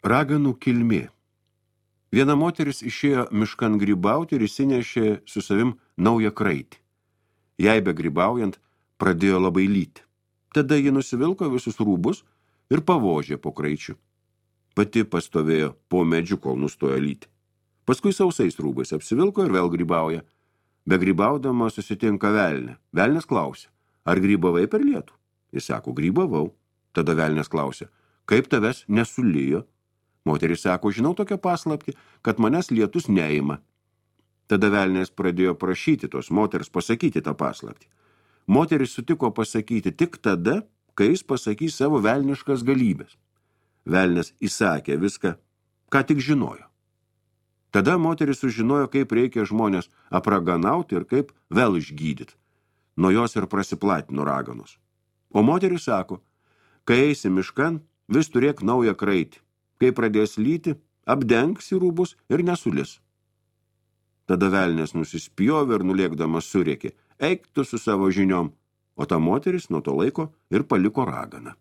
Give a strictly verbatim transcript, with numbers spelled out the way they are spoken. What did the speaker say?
Raganų kilmė. Viena moteris išėjo miškan grybauti ir įsinešė su savim naują kraitį. Jai begrybaujant pradėjo labai lyti. Tada ji nusivilko visus rūbus ir pavožė po kraičiu. Pati pastovėjo po medžiu, kol nustojo lyti. Paskui sausais rūbais apsivilko ir vėl grybauja. Begrybaudama susitinka velnė. Velnės klausė, ar grybavai per lietų? Jis sako, grybavau. Tada velnės klausė, kaip tavęs nesulijo? Moteris sako, žinau tokią paslaptį, kad manęs lietus neima. Tada velnės pradėjo prašyti tos moters pasakyti tą paslaptį. Moteris sutiko pasakyti tik tada, kai jis pasakys savo velniškas galybės. Velnės įsakė viską, ką tik žinojo. Tada moteris sužinojo, kaip reikia žmonės apraganauti ir kaip vėl išgydyti. Nuo jos ir prasiplatino raganos. O moteris sako, kai eisi miškan, vis turėk naują kraitį. Kai pradės lyti, apdengsi rūbus ir nesulis. Tada velnės nusispjovė ir nulėkdamas surėkė, eik tu su savo žiniom, o ta moteris nuo to laiko ir paliko raganą.